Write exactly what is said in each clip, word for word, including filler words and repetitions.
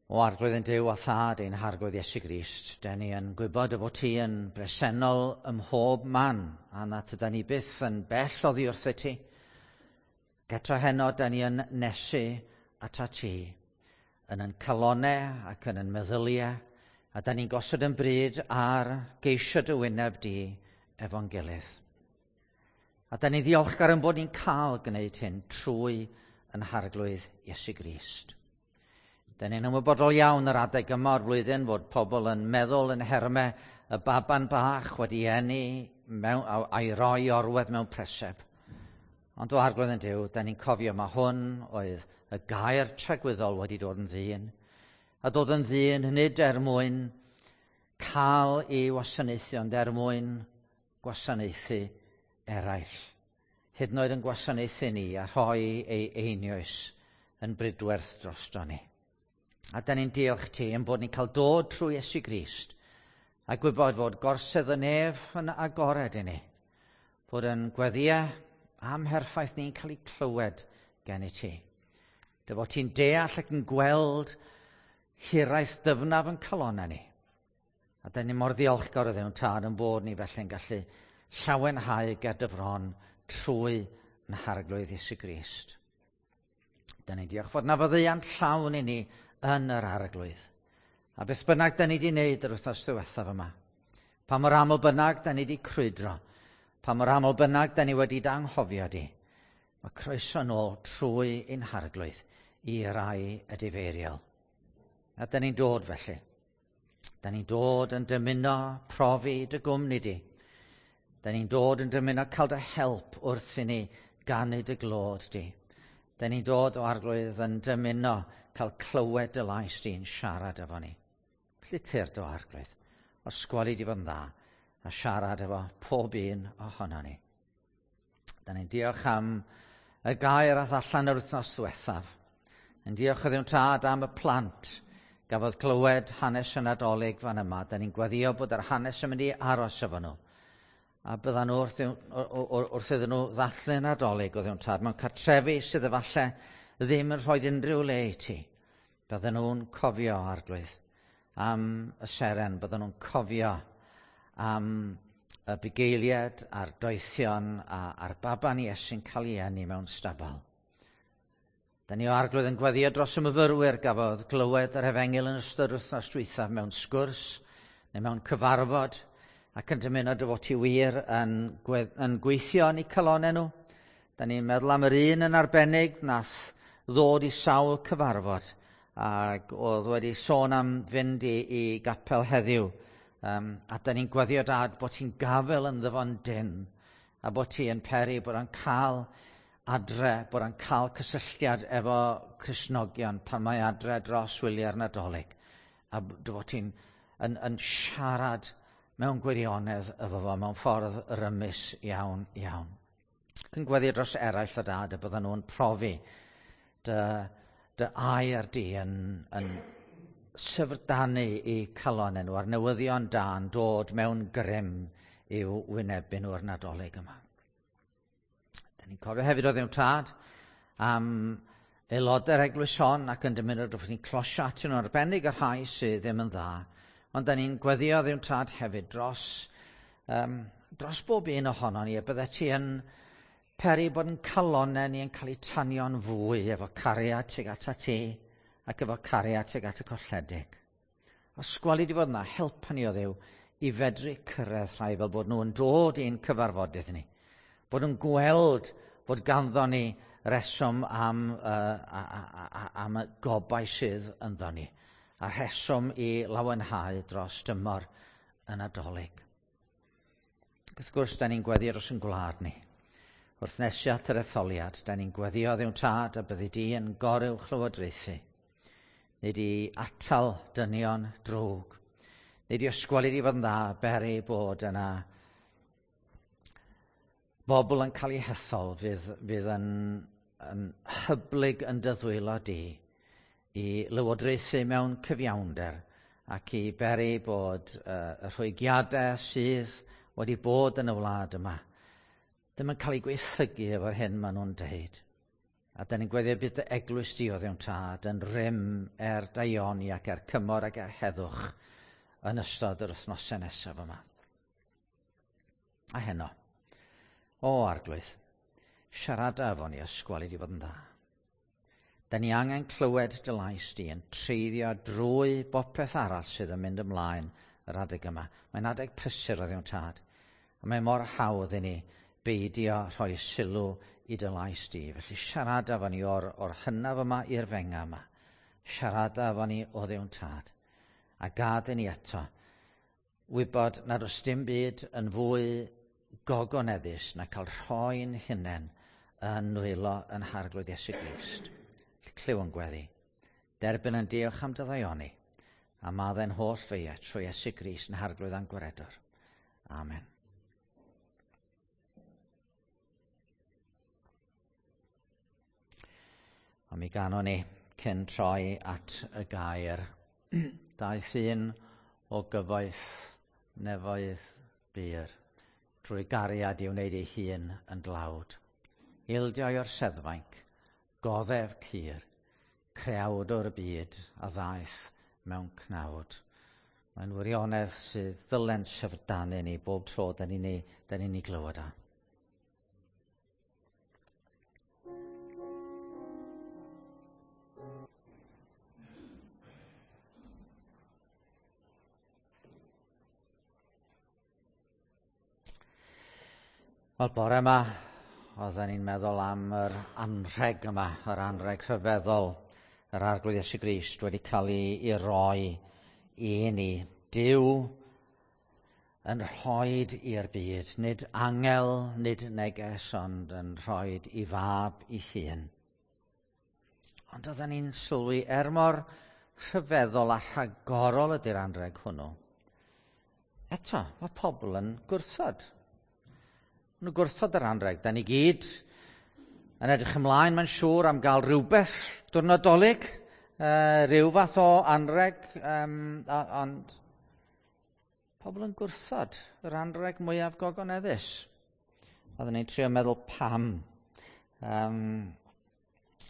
O Arglwydd ein Duw a Thad ein Harglwydd Iesu Grist, dan ni yn gwybod y bod ti yn bresennol ym mhob man, a na tydan ni byth yn bell oddi wrthyt ti. Eto heno, dan ni yn nesu atat ti, yn yn calonau ac yn yn meddyliau, a dan ni'n gosod yn bryd ar geisio dy wyneb di efo'n gilydd. A dan ni'n ddiolchgar yn bod ni'n cael gwneud hyn trwy yn Harglwydd Iesu Grist. Dan ni'n ymwybodol iawn yr adeg yma o'r flwyddyn fod pobl yn meddwl yn nhermau y baban bach wedi eni mewn, a'i roi orwedd mewn preseb. Ond o Arglwydd ein Duw, da ni'n cofio mae hwn oedd y gair tragwyddol wedi dod yn ddyn. A dod yn ddyn nid er mwyn cael ei wasanaethu, ond er mwyn gwasanaethu eraill. Hyd yn oed yn gwasanaethu ni a rhoi ei einioes yn bridwerth drosto ni. A da ni'n diolch ti yn bod ni'n cael dod trwy Iesu Grist a gwybod fod gorsedd y nef yn agored i ni. Bod yn gweddïau amherffaith ni'n cael ei clywed gen i ti. Dy fod ti'n deall ac yn gweld hiraeth dyfnaf yn calonau ni. A da ni mor ddiolchgar o Dduw Tad yn bod ni felly'n gallu llawenhau ger dy fron trwy yn Harglwydd Iesu Grist. Da ni'n diolch fod na faddeuant llawn i ni yn yr Arglwydd. A beth bynnag da ni wedi wneud yr wythnos ddiwethaf yma, pa mor aml bynnag da ni wedi crwydro, pa mor aml bynnag da ni wedi d'anghofio di, mae croeso nôl trwy ein Harglwydd i rai edifeiriol. A da ni'n dod felly. Da ni'n dod yn dymuno profi dy gwmni di. Da ni'n dod yn dymuno cael dy help wrth i ni ganu dy glod di. Da ni'n dod o Arglwydd yn dymuno cael clywed dy lais di'n siarad efo ni. Felly tyrd o Arglwydd, os gweli di fod yn dda, a siarad efo pob un ohono ni. Da ni'n diolch am y gair ath allan yr wythnos ddiwethaf. Yn diolch o Dduw Tad am y plant gafodd clywed hanes y Nadolig fan yma. Da ni'n gweddio bod yr hanes yn mynd i aros efo nhw. A byddan nhw wrth, wrth iddyn nhw ddathlu Nadolig o Dduw Tad mewn cartrefi sydd efallai ddim yn rhoi unrhyw le i ti. Bydden nhw'n cofio, Arglwydd, am y seren, bydden nhw'n cofio am y bugeiliad a'r doethion a'r baban Iesu'n cael ei eni mewn stabal. Da ni o Arglwydd yn gweddio dros y myfyrwyr gafodd glywed yr efengyl yn ystod wythnos dwythaf mewn sgwrs neu mewn cyfarfod ac yn dymuno dy fod ti wir yn, yn gweithio yn eu calonau nhw. Da ni'n meddwl am yr un yn arbennig nath ddod i sawl cyfarfod ac oedd wedi sôn am fynd i, i gapel heddiw. Um, a da ni'n gweddio Dad bod ti'n gafel yn ddyfon dyn a bod ti yn peri bod o'n cael adre, bod o'n cael cysylltiad efo Cristnogion pan mae adre dros wyliau'r Nadolig. A dy fod ti'n yn, yn siarad mewn gwirionedd efo fo mewn ffordd rymus iawn, iawn. Ac yn gweddio dros eraill o Dad y byddan nhw'n profi dy, dy air di yn, yn syfrdanu i calon nhw a'r newyddion da'n dod mewn grym i'w wynebu nhw'r Nadolig yma. Da ni'n cofio hefyd o Dduw Tad am aelodau'r eglwys hon ac yn dymuno drwy ni'n closio atyn nhw arbennig y rhai sydd ddim yn dda. Ond da ni'n gweddio Dduw Tad hefyd dros, um, dros bob un ohono ni y bydde ti yn peri bod yn calonau ni yn cael eu tanio'n fwy efo cariad tuag ata ti ac efo cariad tuag at y colledig. Os gweli di fod yna, helpa ni o Dduw i fedru cyrraedd rhai fel bod nhw'n dod i'n cyfarfodydd ni. Bod nhw'n gweld bod ganddo ni reswm am, uh, a, a, a, am y gobaith sydd ynddo ni. A rheswm i lawenhau dros dymor y Nadolig. Ac wrth gwrs, da ni'n gweddio dros yn gwlad ni. Wrth nesu at yr etholiad, da ni'n gweddio Dduw Tad a byddi di yn goruwch lywodraethu. Nid i atal dynion drwg. Nid i ysgweli di fod yn dda, beri bod yna bobl yn cael eu hethol fydd, fydd yn, yn hyblyg yn dy ddwylo di i lywodraethu mewn cyfiawnder ac i beri bod uh, y rhwygiadau sydd wedi bod yn y wlad yma ddim yn cael ei gweithygu efo'r hyn maen nhw'n deud. A da ni'n gweddio bydd dy eglwys di o Dduw'n Tad yn rym er daioni ac er cymor ac er heddwch yn ystod yr wythnosau nesaf yma. A heno, o Arglwydd, siarada efo ni ysgwal i di fod yn dda. Da ni angen clywed dy lais di yn treiddio drwy bopeth arall sydd yn mynd ymlaen yr adeg yma. Mae'n adeg prysur o Dduw'n Tad. A mae mor hawdd i ni beidio rhoi sylw i dy lais di. Felly siarada efo ni o'r, o'r hynaf yma i'r fenga yma. Siarada efo ni o Dduw'n Tad. A gad i ni eto wybod nad oes dim byd yn fwy gogoneddus na cael rhoi'n hunain yn nwylo yn Harglwydd Iesu Grist. Clyw yn gweddi. Derbyn yn diolch am dy ddaioni, a maddau'n holl feia trwy Iesu Grist yn Harglwydd a'n Gwaredwr. Amen. A mi ganon ni cyn troi at y gair. Daeth un o gyfoeth nefoedd bur, drwy gariad i wneud ei hun yn dlawd. Ildio o'r seddfainc, goddef cur, creawdwr y byd a ddaeth mewn cnawd. Mae'n wirionedd sydd ddylen syfrdanu ni bob tro da ni'n ei, da ni'n ei glywed o. Wel, bore yma, oedden ni'n meddwl am yr anrheg yma, yr anrheg rhyfeddol, yr Arglwydd Iesu Grist wedi cael ei, ei roi i ni. Duw yn rhoid i'r byd, nid angel, nid neges, ond yn rhoid i fab i hun. Ond oedden ni'n sylwi, er mor rhyfeddol a rhagorol ydy'r anrheg hwnnw, eto, mae pobl yn gwrthod. Maen nhw'n gwrthod yr anrheg. Da ni gyd yn edrych ymlaen, mae'n siŵr, am gael rhywbeth diwrnod Dolig, uh, rhyw fath o anrheg, um, a, ond pobl yn gwrthod yr anrheg mwyaf gogoneddus. Oedden ni'n trio meddwl pam. Um,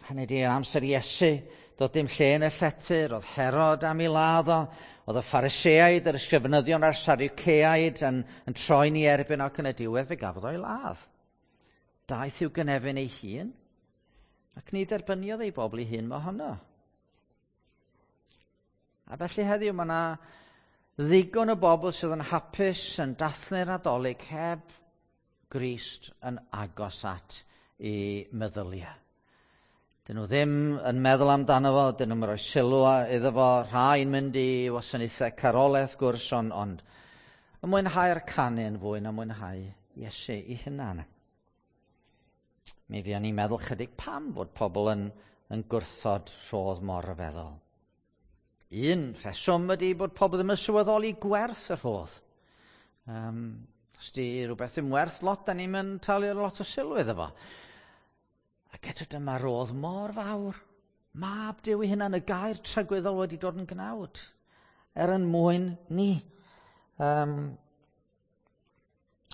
hynny ydi, yn amser Iesu, doedd dim lle yn y llety, roedd Herod am ei ladd o, oedd y Phariseaid, yr ysgrifenyddion a'r Sadwceaid yn, yn troi'n ei erbyn ac yn y diwedd fe gafodd o'i ladd. Daeth i'w gynefin ei hun, ac ni dderbyniodd ei bobl ei hun mohono. A felly heddiw mae yna ddigon o bobl sydd yn hapus yn dathlu'r Nadolig heb Grist yn agos at ei meddyliau. Dyn nhw ddim yn meddwl amdano fo, dyn nhw'n rhoi sylw iddo fo, rhai'n mynd i wasanaethau carolau wrth gwrs, ond, ond yn mwynhau'r canu yn fwy na mwynhau Iesu ei hunan. Mi fuon ni'n meddwl chydig pam bod pobl yn, yn gwrthod rhodd mor ryfeddol. Un rheswm ydy bod pobl ddim yn sylweddoli gwerth y rhodd. Um, os di rhywbeth ddim werth lot, da ni'n mynd talu lot o sylw iddo fo. Ac eto dyma rodd mor fawr. Mab Duw ei hunan, y gair tragwyddol wedi dod yn gnawd, er yn mwyn ni. Um,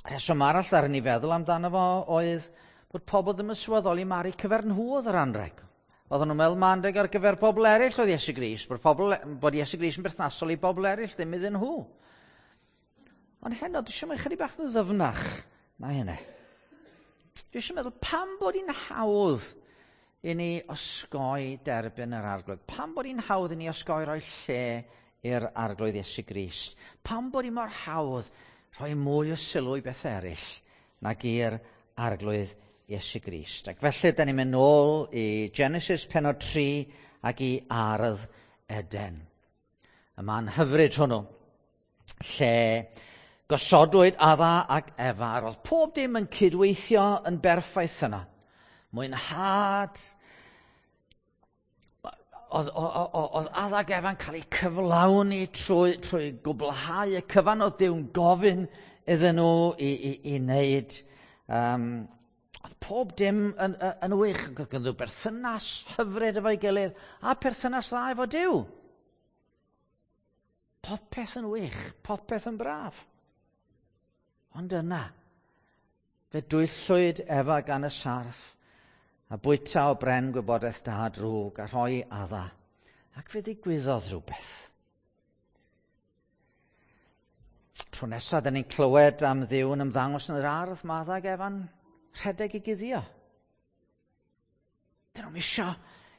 rheswm arall ar ni feddwl amdano fo oedd bod pobl ddim yn sylweddoli mari cyfer nhw oedd yr anrheg. Oedden nhw'n meddwl ma anrheg ar gyfer pobl eraill oedd Iesu Grist, bod, pobl, bod Iesu Grist yn berthnasol i bobl eraill, ddim iddyn nhw. Ond heno, dwi eisiau mynd chydig bach yn ddyfnach na hynny. Dwi eisiau meddwl pam bod hi'n hawdd i ni osgoi derbyn yr Arglwydd? Pam bod hi'n hawdd i ni osgoi rhoi lle i'r Arglwydd Iesu Grist? Pam bod hi mor hawdd rhoi mwy o sylw i beth eraill nag i'r Arglwydd Iesu Grist? Ac felly, da ni'n mynd nôl i Genesis pennod tri ac i Ardd Eden. Y man hyfryd hwnnw, lle gosodwyd Adda ac Efa, roedd pob dim yn cydweithio yn berffaith yna. Mwynhad, oedd, oedd Adda ac Efa'n cael eu cyflawni trwy, trwy gwblhau y cyfan oedd Duw'n gofyn iddyn nhw i, i, i wneud. Um, oedd pob dim yn, yn, yn wych, oedd ganddyn nhw berthynas hyfryd efo'i gilydd a perthynas dda efo Duw. Popeth yn wych, popeth yn braf. Ond yna, fe dwyllwyd Efa gan y sarff, A bwyta o bren gwybodaeth da a drwg a rhoi Adda. Ac fe ddigwyddodd rhywbeth. Tro nesaf, da ni'n clywed am Dduw yn ymddangos yn yr ardd, mae Adda ac Efa'n rhedeg i guddio. Dyn nhw'm isio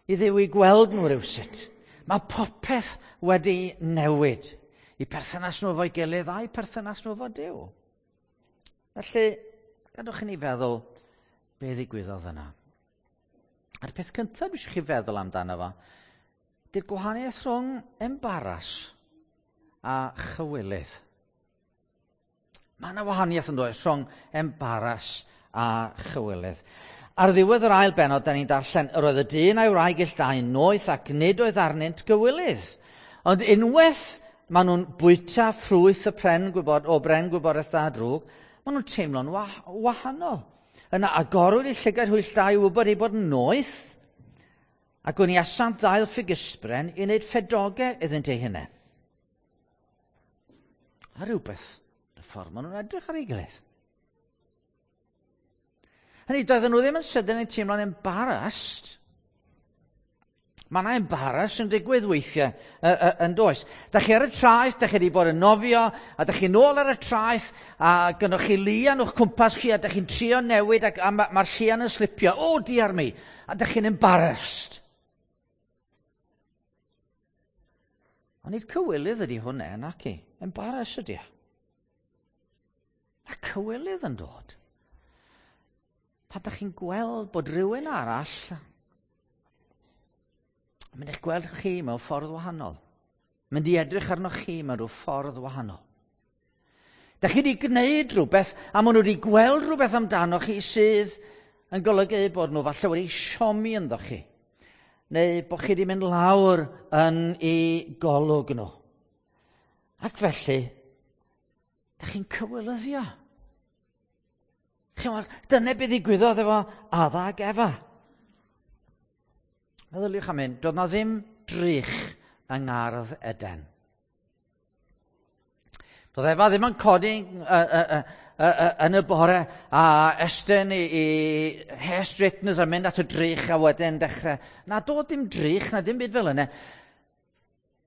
i Dduw i gweld nhw rywsut. Mae popeth wedi newid. I perthynas nhw efo'i gilydd a'i perthynas nhw efo Duw. Felly, gadwch i ni feddwl be ddigwyddodd yna. A'r peth cyntaf dwi eisiau chi feddwl amdano fo, di'r gwahaniaeth rhwng embaras a chywilydd. Mae yna wahaniaeth yn does rhwng embaras a chywilydd. Ar ddiwedd yr ail bennod, da ni'n darllen, yr oedd y dyn a'i wraig ill dau noeth ac nid oedd arnynt gywilydd. Ond unwaith maen nhw'n bwyta ffrwyth y pren gwybod, o bren gwybodaeth da a drwg, maen nhw'n teimlo'n wah wahanol. Yna agorwyd eu llygaid hwy ill dau i wybod eu bod yn noeth, ac gwniasant ddail ffigysbren i wneud ffedogau iddynt eu hunain. A rhywbeth, y ffordd maen nhw'n edrych ar ei gilydd. Hynny, doedden nhw ddim yn sydyn yn teimlo'n embarrassed. Mae yna embarrass yn digwydd weithiau yn does. Da chi ar y traeth, da chi wedi bod yn nofio, a da chi nôl ar y traeth, a gynnwch chi lian o'ch cwmpas chi, a da chi'n trio newid, ac, a mae'r ma llian yn slipio. O, oh, diar mi! A da chi'n embarrassed. Ond nid cywilydd ydy hwnna, naci. Embarrass ydy. Mae cywilydd yn dod pan da chi'n gweld bod rhywun arall yn mynd i'ch gweld chi mewn ffordd wahanol. Mynd i edrych arnoch chi mewn rhyw ffordd wahanol. Da chi wedi gwneud rhywbeth a maen nhw wedi gweld rhywbeth amdano chi sydd yn golygu bod nhw falle wedi siomi ynddo chi. Neu bod chi wedi mynd lawr yn eu golwg nhw. Ac felly, da chi'n cywilyddio. Chi'n dyna beth ddigwyddodd efo Adda ac Efa. Meddyliwch am hyn, doedd na ddim drych yng ngardd Eden. Doedd Efa ddim yn codi uh, uh, uh, uh, yn y bore a estyn i, i hair straighteners a mynd at y drych a wedyn dechrau. Na, doedd dim drych, na dim byd fel yna.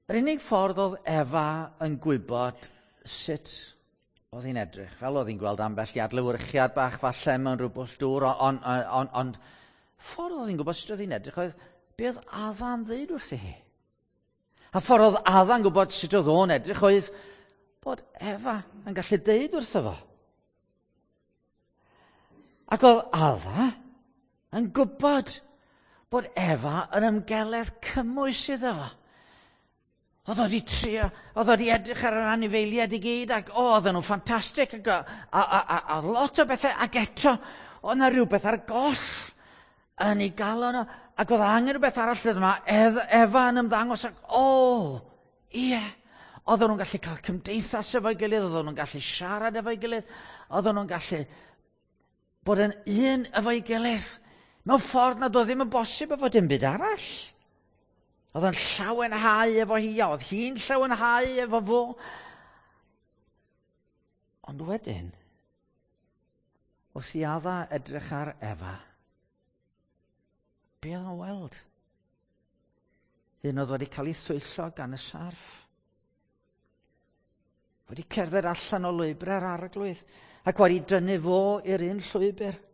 Yr unig ffordd oedd Efa yn gwybod sut oedd hi'n edrych, fel oedd hi'n gweld ambell i adlewyrchiad bach falle mewn rhyw bwll dŵr, ond on, on, on, ffordd oedd hi'n gwybod sut oedd hi'n edrych oedd be oedd Adda'n ddeud wrthi hi. A ffordd oedd Adda'n gwybod sut oedd o'n edrych oedd bod Efa yn gallu deud wrtho fo. Ac oedd Adda yn gwybod bod Efa yn ymgeledd cymwys iddo fo. Oedd o wedi trio, oedd o wedi edrych ar yr anifeiliaid i gyd, ac o, oedden nhw'n ffantastig, ac a, a, a, a, a lot o bethau, ac eto, oedd yna rhywbeth ar goll yn ei galon o, ac oedd angen rhywbeth arall yma, Efa yn ymddangos, ac o, ie, oedden nhw'n gallu cael cymdeithas efo'i gilydd, oedden nhw'n gallu siarad efo'i gilydd, oedden nhw'n gallu bod yn un efo'i gilydd, mewn ffordd nad oedd ddim yn bosib efo dim byd arall. Oedd o'n llawenhau efo hi, a oedd hi'n llawenhau efo fo. Ond wedyn, wrth i Adda edrych ar Efa, be oedd o'n weld? Un oedd wedi cael ei thwyllo gan y sarff. Wedi cerdded allan o lwybrau'r arglwydd ac wedi dynnu fo i'r un llwybr.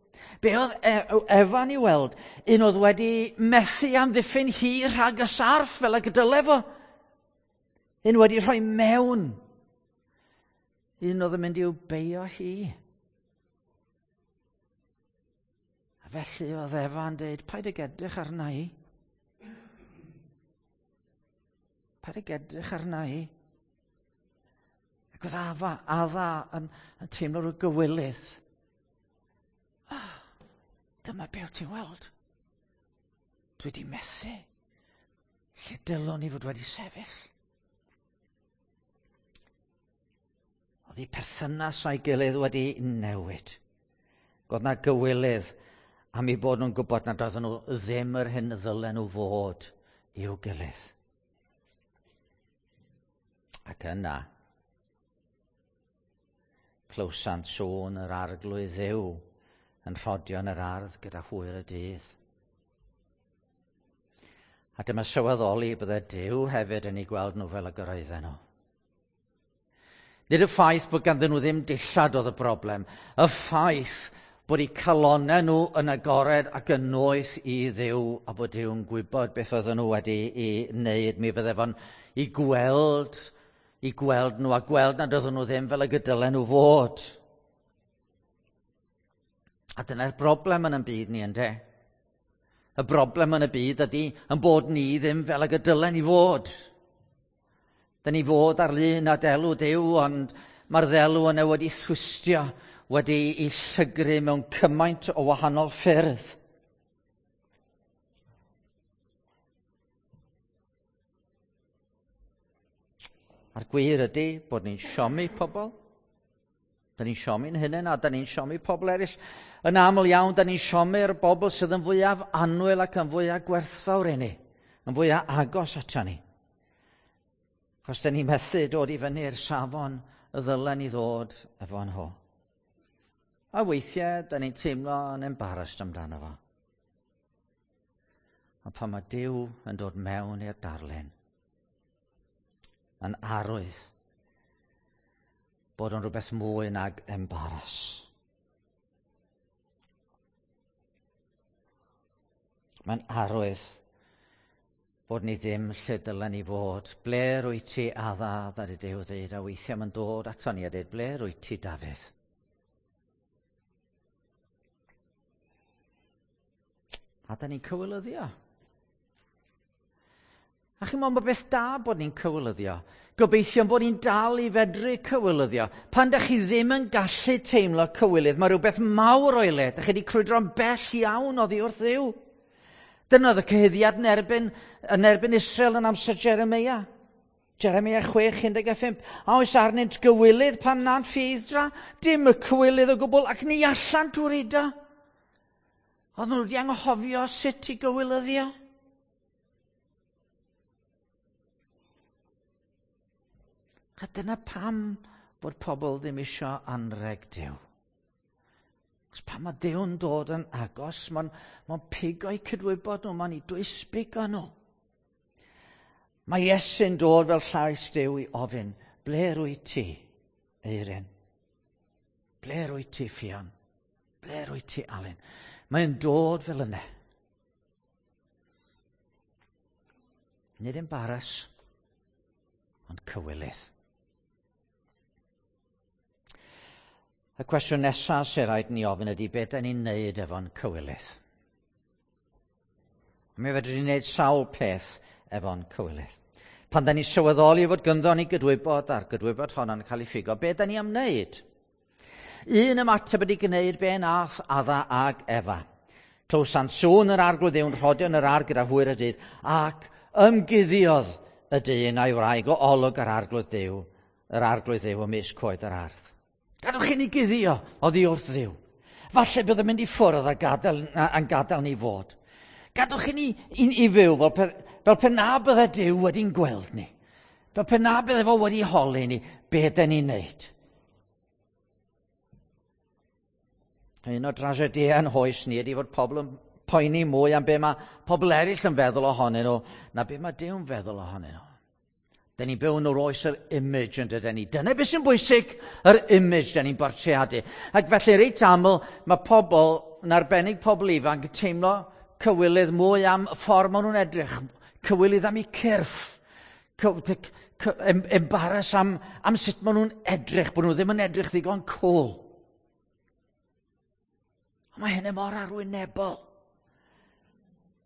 Be oedd Efa'n ei weld? Un oedd wedi methu amddiffyn hi rhag y sarff fel y gydyle fo. Un wedi rhoi mewn. Un oedd yn mynd i'w beio hi. A felly oedd Efa'n dweud, paid ag edrych arna i. Paid ag edrych arna i. Ac oedd Afa, Adda yn, yn teimlo rhyw gywilydd. Ah, dyma be wyt ti'n weld. Dwi wedi methu. Lle dylwn i fod wedi sefyll. Oedd eu perthynas o'i gilydd wedi newid. Oedd na gywilydd am eu bod nhw'n gwybod nad oedden nhw ddim yr hyn ddylen nhw fod i'w gilydd. Ac yna, clywsant sŵn yr arglwydd Dduw yn rhodio yn yr ardd gyda hwyr y dydd. A dyma sylweddoli bydde Duw hefyd yn eu gweld nhw fel y gyraedden nhw. Nid y ffaith bod ganddyn nhw ddim dillad oedd y broblem, y ffaith bod eu calonnau nhw yn agored ac yn noeth i Dduw a bod Duw'n gwybod beth oedden nhw wedi ei wneud. Mi fydde fo'n i gweld, i gweld nhw a gweld nad oedden nhw ddim fel y gydylen nhw fod. A dyna'r broblem yn y byd ni, ynde? Y broblem yn y byd ydy yn bod ni ddim fel ag y dylen ni fod. Dyn ni fod ar lun a delw Duw, ond mae'r ddelw yna wedi thwistio, wedi ei llygru mewn cymaint o wahanol ffyrdd. A'r gwir ydy bod ni'n siomi pobl. Da ni'n siomi'n hunain a da ni'n siomi pobl eraill. Yn aml iawn, da ni'n siomi'r bobl sydd yn fwyaf annwyl ac yn fwyaf gwerthfawr i ni, yn fwyaf agos ato ni. Achos da ni'n methu dod i fyny'r safon y ddylen ni ddod efo nhw. A weithiau, da ni'n teimlo yn embarrassed amdano fo. Ond pan mae Duw yn dod mewn i'r darlun, yn arwydd bod o'n rhywbeth mwy nag embarrass. Mae'n arwydd bod ni ddim lle dylen ni fod. Ble rwyt ti, Adda, ddaru Duw ddeud, a weithiau mae'n dod ato ni a dweud, ble rwyt ti, Dafydd? A da ni'n cywilyddio. A chi'n meddwl, mae beth da bod ni'n cywilyddio. Gobeithio bod ni'n dal i fedru cywilyddio. Pan da chi ddim yn gallu teimlo cywilydd, mae rhywbeth mawr o'i le. Da chi wedi crwydro'n bell iawn oddi wrth Dduw. Dyna oedd y cyhuddiad yn erbyn, yn erbyn Israel yn amser Jeremia. Jeremia chwech, un deg pump. A oes arnynt gywilydd pan na'n ffeiddra? Dim y cywilydd o gwbl, ac ni allan drwy'r uda. Oedd nhw wedi anghofio sut i gywilyddio. A dyna pam bod pobl ddim isio anrheg Duw. Os pan mae Duw'n dod yn agos, mae'n ma pigo'u cydwybod nhw, mae'n eu dwysbigo nhw. Mae Iesu'n dod fel llais Duw i ofyn, ble rwyt ti, Eirin? Ble rwyt ti, Ffion? Ble rwyt ti, Alun? Mae'n dod fel yna. Nid embarrass, ond cywilydd. Y cwestiwn nesaf sy'n rhaid ni ofyn ydy beth da ni'n neud efo'n cywilydd. Mi fedrwn ni wneud sawl peth efo'n cywilydd. Pan da ni'n sylweddoli fod gynddo ni gydwybod a'r gydwybod honno'n cael ei ffigo, be da ni am wneud? Un ymateb ydy gwneud be nath Adda ag Efa. Clywsant sŵn yr arglwydd Dduw'n rhodio yn yr ardd gyda hwyr y dydd, ac ymguddiodd y dyn a'i wraig o olwg yr arglwydd Dduw, yr arglwydd Dduw ymysg coed yr ardd. Gadwch i ni guddio oddi wrth Dduw. Falle bydd yn mynd i ffwrdd a gadael, a'n gadael ni fod. Gadwch i ni i, i fyw fel pe, fel pe na bydde Duw wedi'n gweld ni. Fel pe na bydde fo wedi holi ni be den ni'n neud. Un o dragediau yn hoes ni ydy fod pobl yn poeni mwy am be mae pobl eraill yn feddwl ohonyn nhw na be mae Duw'n feddwl ohonyn nhw. Da ni'n byw yn yr oes yr image yn dydyn ni. Dyna beth sy'n bwysig, yr image da ni'n bortreadu. Ac felly reit aml mae pobl, yn arbennig pobl ifanc, yn teimlo cywilydd mwy am y ffordd maen nhw'n edrych, cywilydd am eu cyrff, embarrass am, am sut maen nhw'n edrych, bod nhw ddim yn edrych ddigon cool. Ond mae hynny mor arwynebol.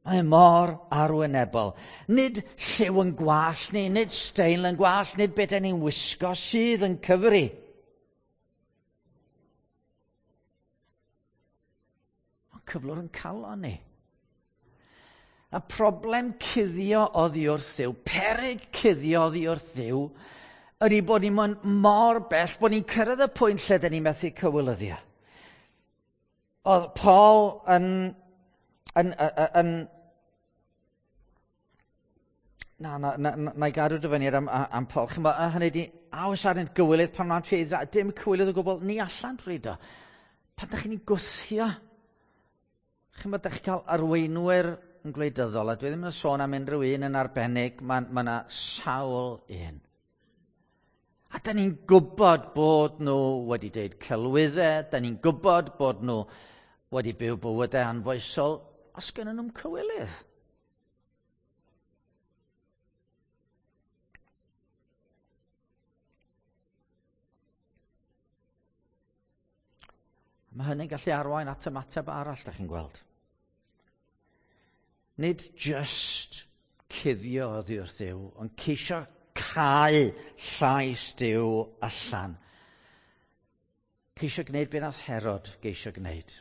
Mae mor arwynebol. Nid lliw yn gwallt ni, nid steil yn gwallt, nid beth ni'n wisgo sydd yn cyfri. Ond cyflwr yn calon ni. Y problem cuddio oddi wrth Dduw, peryg cuddio oddi wrth Dduw, ydy bod ni'n mynd mor bell, bod ni'n cyrraedd y pwynt lle dyn ni'n methu cywilyddio. Oedd Paul yn... yn, yn, yn na, na, na, na, na i gadw dyfyniad am, am Paul. Chymod, hynny di, a oes arnynt gywilydd pan mae'n ffeidd, dim cywilydd o gwbl, ni allan drwy do. Pan da chi'n gwthio, chymod, da chi'n cael arweinwyr yn gwleidyddol, a dwi ddim yn sôn am unrhyw un yn arbennig, mae ma yna sawl un. A da ni'n gwybod bod nhw wedi deud celwyddau, da ni'n gwybod bod nhw wedi byw bywydau anfoesol, os gennyn nhw'n cywilydd. Mae hynny'n gallu arwain at ymateb arall, da chi'n gweld. Nid just cuddio oddi wrth Dduw, ond ceisio cau llais Duw allan. Ceisio gwneud be nath Herod geisio gwneud.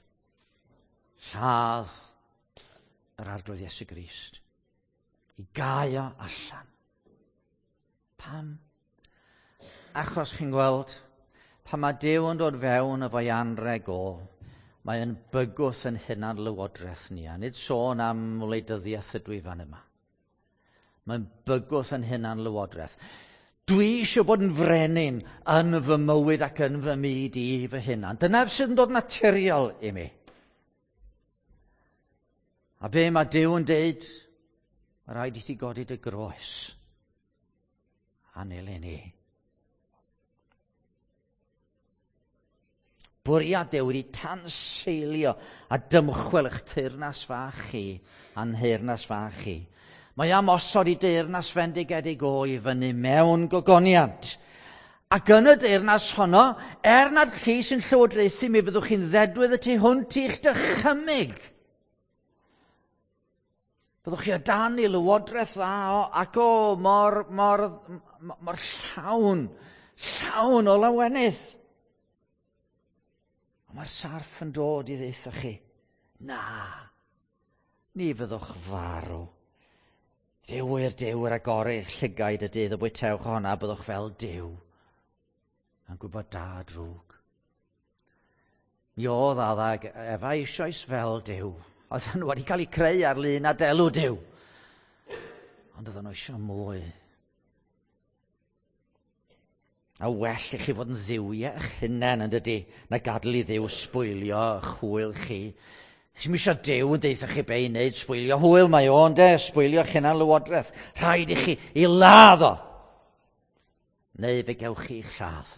Lladd yr Arglwydd Iesu Grist. I gau o allan. Pam? Achos chi'n gweld, pan mae Duw yn dod fewn efo'i anreg o, mae yn bygwth yn hunan lywodraeth ni, a nid sôn am wleidyddiaeth ydw i fan yma. Mae'n bygwth yn hunan lywodraeth. Dwi eisiau bod yn frenin yn fy mywyd ac yn fy myd i fy hunan. Dyna sydd yn dod naturiol i mi. A be mae Duw yn deud? Mae rhaid i ti godi dy groes a nilyn i. Bwriad Duw wedi tanseilio a dymchwel eich teyrnas fach chi a'n nheyrnas fach chi. Mae am osod i deyrnas fendigedig o i fyny mewn gogoniant. Ac yn y deyrnas honno, er nad chi sy'n llywodraethu, mi fyddwch chi'n ddedwydd y tu hwnt i'ch dychymyg. Byddwch chi o dan i lywodraeth dda o, ac o mor, mor, mor llawn, llawn o lawenydd. Ond mae'r sarff yn dod i ddeutha chi. Na, ni fyddwch farw. Fe wir Duw yr agorydd llygaid y dydd y bwytewch honna, byddwch fel Duw, yn gwybod da a drwg. Mi oedd Adda ac Efa eisoes fel Duw. Oedden nhw wedi cael eu creu ar lun a delw Duw. Ond oedden nhw eisiau mwy. A well i chi fod yn dduwiau eich hunain yn dydi, na gadael i Dduw sbwylio eich hwyl chi. Sim eisiau Duw yn deutha chi be i wneud, sbwylio hwyl mae o'n de, sbwylio eich hunan lywodraeth. Rhaid i chi i ladd o. Neu fe gewch chi eich lladd.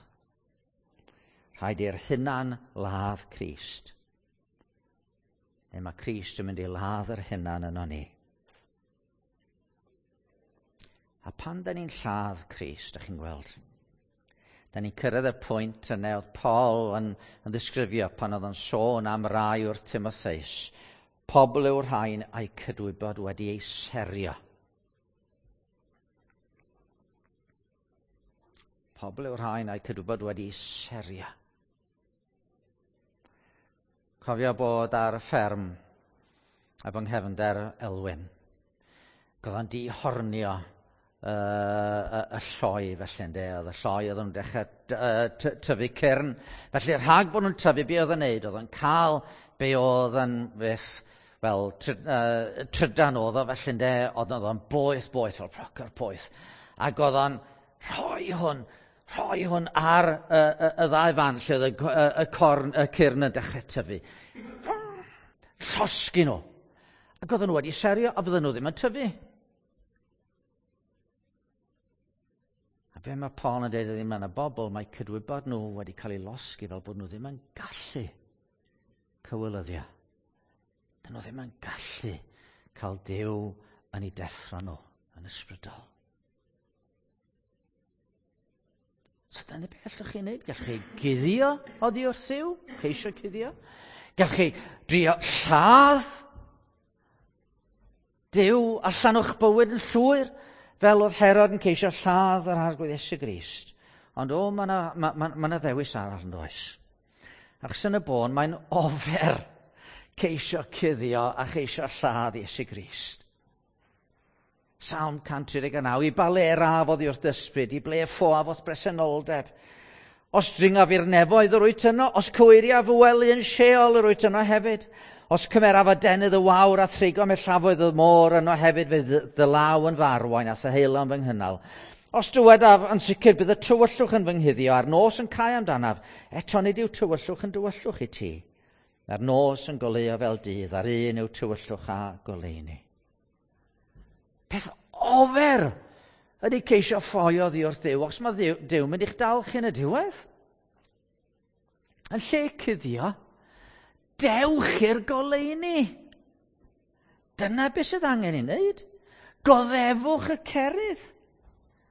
Rhaid i'r hunan ladd Crist. Neu mae Crist yn mynd i ladd yr hunan yno ni. A pan da ni'n lladd Crist, da chi'n gweld, da ni'n cyrraedd y pwynt yna oedd Paul yn, yn ddisgrifio pan oedd o'n sôn am rai wrth Timotheus. Pobl yw'r rhain a'i cydwybod wedi ei serio. Pobl yw'r rhain a'i cydwybod wedi ei serio. Cofio bod ar y fferm efo nghefnder Elwyn. Oedd o'n dihornio y, y, y lloi felly, ynde. Oedd y lloi oedd yn dechrau tyfu cyrn. Felly rhag bod nhw'n tyfu, be oedd yn neud? Oedd o'n cael be oedd yn fyth, wel, try, uh, trydan oedd o felly, ynde. Oedd o'n boeth, boeth, fel procer poeth. Ac oedd o'n rhoi hwn, rhoi hwn ar y, y, y ddau fan lle oedd y, y, y corn, y cyrn yn dechrau tyfu. Llosgi nhw. Ac oedden nhw wedi serio a fydden nhw ddim yn tyfu. A be mae Paul yn dweud ydy, mae yna bobl, mae cydwybod nhw wedi cael ei losgi fel bod nhw ddim yn gallu cywilyddio. Dyn nhw ddim yn gallu cael Duw yn ei deffro nhw yn ysbrydol. So dyna beth allwch chi wneud. Gallwch chi guddio oddi wrth Dduw, ceisio cuddio. Gallwch chi drio lladd Duw allan o'ch bywyd yn llwyr, fel oedd Herod yn ceisio lladd yr Arglwydd Iesu Grist. Ond o, mae yna ma, ma, ma ddewis arall yn does. Achos yn y bôn, mae'n ofer ceisio cuddio a cheisio lladd Iesu Grist. Salm cant tri deg naw, i ba le raf oddi wrth ysbryd, i ble ffoaf o'th bresenoldeb. Os dringaf i'r nefoedd yr wyt yno, os cyweiriaf fy wely yn Sheol yr wyt yno hefyd. Os cymeraf adenydd y wawr a thrigo mellafoedd y môr yno hefyd, fe dy law yn fy arwain a theheilon fy nghynnal. Os dywedaf yn sicr bydd y tywyllwch yn fy nghuddio a'r nos yn cau amdanaf, eto nid yw tywyllwch yn dywyllwch i ti. A'r nos yn goleuo fel dydd, a'r un yw tywyllwch a goleuni. Peth ofer ydy ceisio ffoi oddi wrth Dduw, os mae Dduw, Duw mynd i'ch dal chi yn y diwedd. Yn lle cuddio, dewch i'r goleuni. Dyna beth sydd angen ei wneud. Goddefwch y cerydd.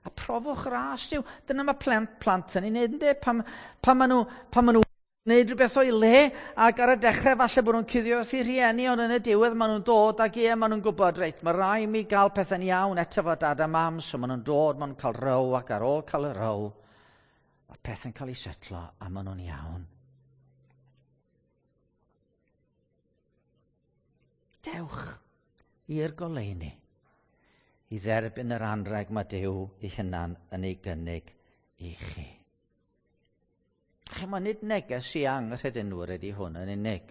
A profwch ras Duw. Dyna mae plant, plant yn ei wneud, yndê? Pan, pan maen nhw, pan maen nhw wneud rhywbeth o'i le, ac ar y dechrau falle bod nhw'n cuddio wrth eu rhieni, ond yn y diwedd maen nhw'n dod ac ie, maen nhw'n gwybod, reit, mae rai mi gael pethau'n iawn eto fo dad a mam, so maen nhw'n dod, maen nhw'n cael row, ac ar ôl cael y row, mae pethau'n cael ei setlo a maen nhw'n iawn. Dewch i'r goleuni i dderbyn yr anrheg mae Duw ei hunan yn ei gynnig i chi. Chimod, nid neges i anghredinwyr ydy hwn yn unig.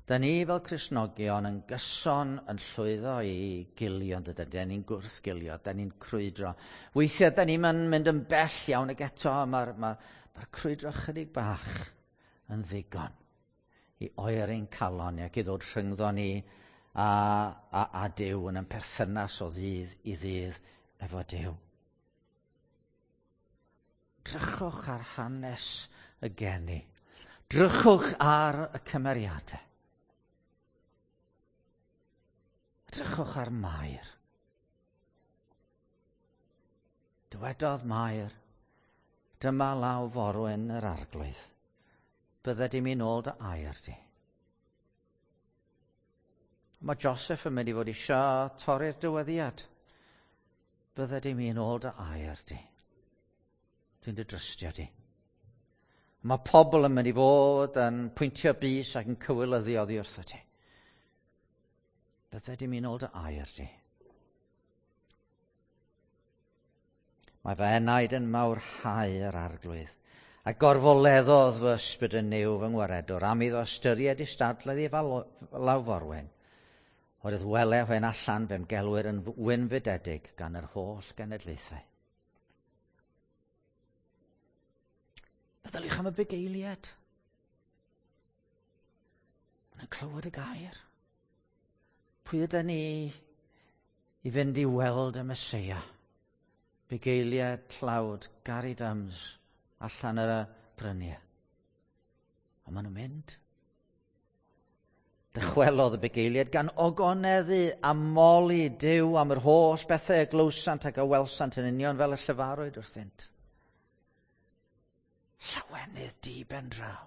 Da ni fel Cristnogion yn gyson yn llwyddo i gilio, yn dydyn? Da ni'n gwrthgilio, da ni'n crwydro. Weithiau da ni'n mynd yn bell iawn ac eto mae'r ma, ma crwydro chydig bach yn ddigon i oeri'n calon ac i ddod rhyngddo ni a, a, a Duw yn ein perthynas o ddydd i ddydd efo Duw. Drychwch ar hanes y geni. Drychwch ar y cymeriadau. Drychwch ar Mair. Dywedodd Mair, dyma law forwyn yr arglwydd. Bydde di mi nôl dy air di. Mae Joseph yn mynd i fod eisiau torri'r dyweddiad. Bydde di mi nôl dy air di. Dwi'n dy drystio di. Mae pobl yn mynd i fod yn pwyntio bys ac yn cywilyddu oddi wrtho ti. Bydde di mi nôl dy air di. Mae fy enaid yn mawrhau yr arglwydd, a gorfoleddodd fy ysbryd yn Nuw fy ngwaredwr am iddo ystyried istadledd i lawforwyn. Oherwydd wele hwen allan fe'm gelwir yn wynfydedig gan yr holl genedlaethau. Meddyliwch am y bugeiliad. Maen nhw'n clywed y gair. Pwy ydyn ni i fynd i weld y Meseia? Bugeiliad tlawd, Gary Dums, allan ar y bryniau. Ond maen nhw'n mynd. Dychwelodd y bugeiliad gan ogoneddu a moli Duw am yr holl bethau y glywsant ac a welsant yn union fel y llefarwyd wrthynt. Llawenydd di ben draw.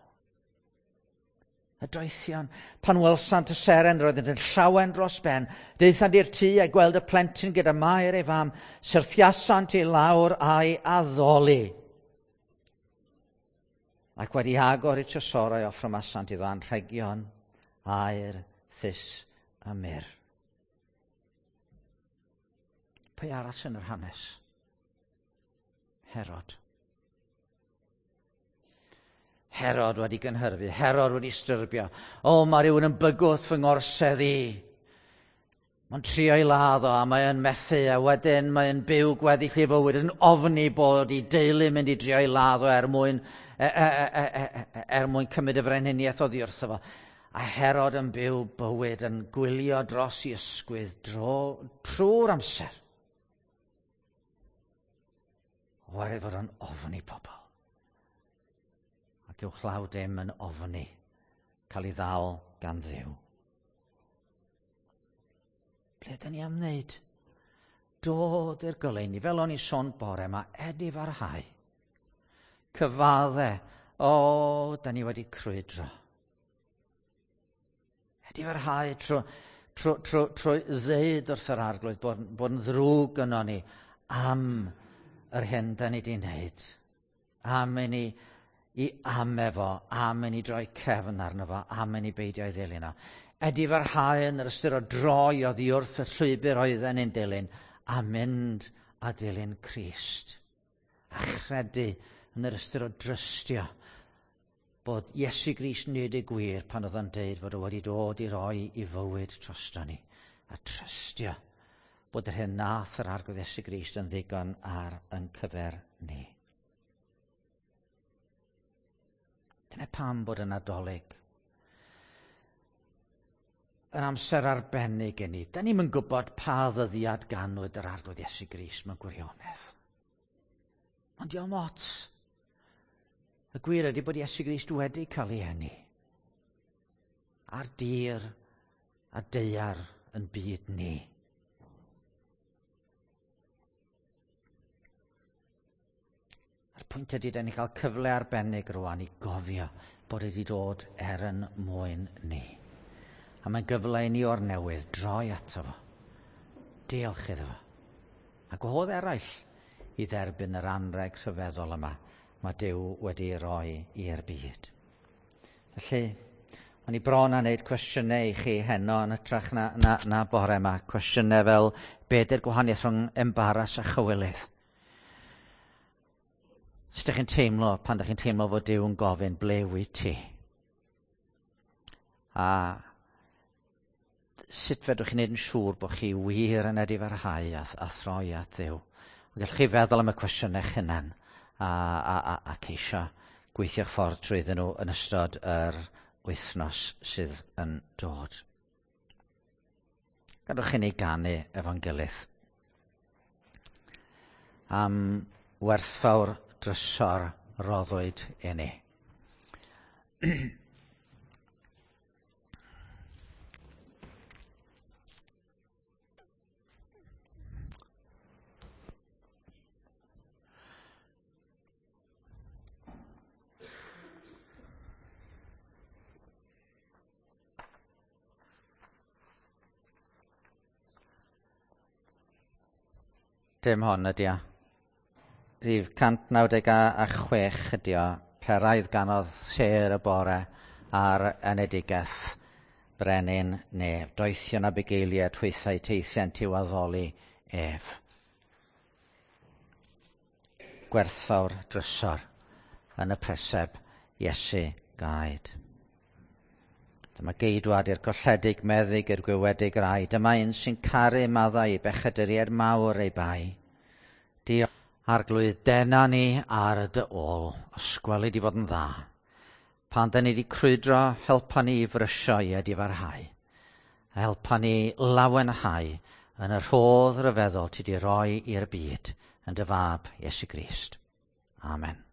Y doethion, pan welsant y seren, roeddent yn llawen dros ben. Daethant i'r tŷ a gweld y plentyn gyda Mair ei fam, syrthiasant i lawr a'i addoli. Ac wedi agor eu trysorau offrymasant iddo anrhegion, aur, thus a myrrh. Pwy arall yn yr hanes? Herod. Herod wedi gynhyrfu, Herod wedi styrbio. O, mae rhywun yn bygwth fy ngorsedd i. Mae'n trio ei ladd o a mae'n methu, a wedyn mae'n byw gweddill ei fywyd yn ofni bod ei deulu mynd i drio ei ladd o er mwyn, e, e, e, e, e, er mwyn cymryd y frenhiniaeth oddi wrtho fo. A Herod yn byw bywyd yn gwylio dros i ysgwydd dro, trwy'r amser. Oherwydd fod o'n ofni pobl. Ac uwchlaw dim yn ofni cael ei ddal gan Dduw. Ble ydyn ni am wneud? Dod i'r goleuni, fel o'n i sôn bore yma, edifarhau. Cyfadde, o, da ni wedi crwydro. Edifarhau trwy, trwy, trwy, trwy ddeud wrth yr arglwydd bod, bod yn ddrwg yno ni am yr hyn da ni wedi wneud. Am i ni i ame fo, am i ni droi cefn arno fo, am i ni beidio ei ddilyn o. Edifarhau yn yr ystyr o droi oddi wrth y llwybr oedden ni'n dilyn, a mynd a dilyn Crist. A chredu yn yr ystyr o drystio bod Iesu Grist nid y gwir pan oedd o'n deud fod o wedi dod i roi i fywyd drosto ni. A trystio bod yr hyn nath yr Arglwydd Iesu Grist yn ddigon ar yn cyfer ni. Dyna pam bod y Nadolig yn amser arbennig i ni. Da ni'm yn gwybod pa ddyddiad ganwyd yr Arglwydd Iesu Grist mewn gwirionedd. Ond dio'm ots. Y gwir ydy bod Iesu Grist wedi cael ei eni. Ar dir a daear yn byd ni. A'r pwynt ydy, da ni cael cyfle arbennig rwan i gofio bod wedi dod er yn mwyn ni. A mae'n gyfle i ni o'r newydd droi ato fo. Diolch iddo fo. A gwahodd eraill i dderbyn yr anreg rhyfeddol yma mae Duw wedi ei roi i'r byd. Felly, o'n i bron â wneud cwestiynau i chi heno yn hytrach na, na, na bore yma. Cwestiynau fel, be ydy'r gwahaniaeth rhwng embaras a chywilydd? Sut ydych chi'n teimlo pan ydych chi'n teimlo fod Duw yn gofyn, ble wyt ti? A sut fedrwch chi wneud yn siŵr bod chi wir yn edifarhau a, a throi at Dduw? Ond gallwch chi feddwl am y cwestiynau eich hunan a, a, a, a ceisio gweithio'ch ffordd trwyddyn nhw yn ystod yr wythnos sydd yn dod. Gadwch i ni ganu efo'n gilydd am werthfawr drysor roddwyd i ni. Dim hon ydi o. Rhif cant naw deg a chwech ydi o. Peraidd ganodd sêr y bore ar enedigaeth brenin nef. Doethion a bugeiliaid hwythau teithiant i'w addoli ef. Gwerthfawr drysor yn y preseb Iesu gaed. Dyma geidwad i'r colledig meddyg i'r gwywedig rai. Dyma un sy'n caru maddau i bechaduriaid mawr ei bai. Diolch, Arglwydd, dena ni ar dy ôl, os gweli di fod yn dda. Pan da ni wedi crwydro, helpa ni i frysio i edifarhau. A helpa ni lawenhau yn y rhodd ryfeddol ti di roi i'r byd yn dy fab Iesu Grist. Amen.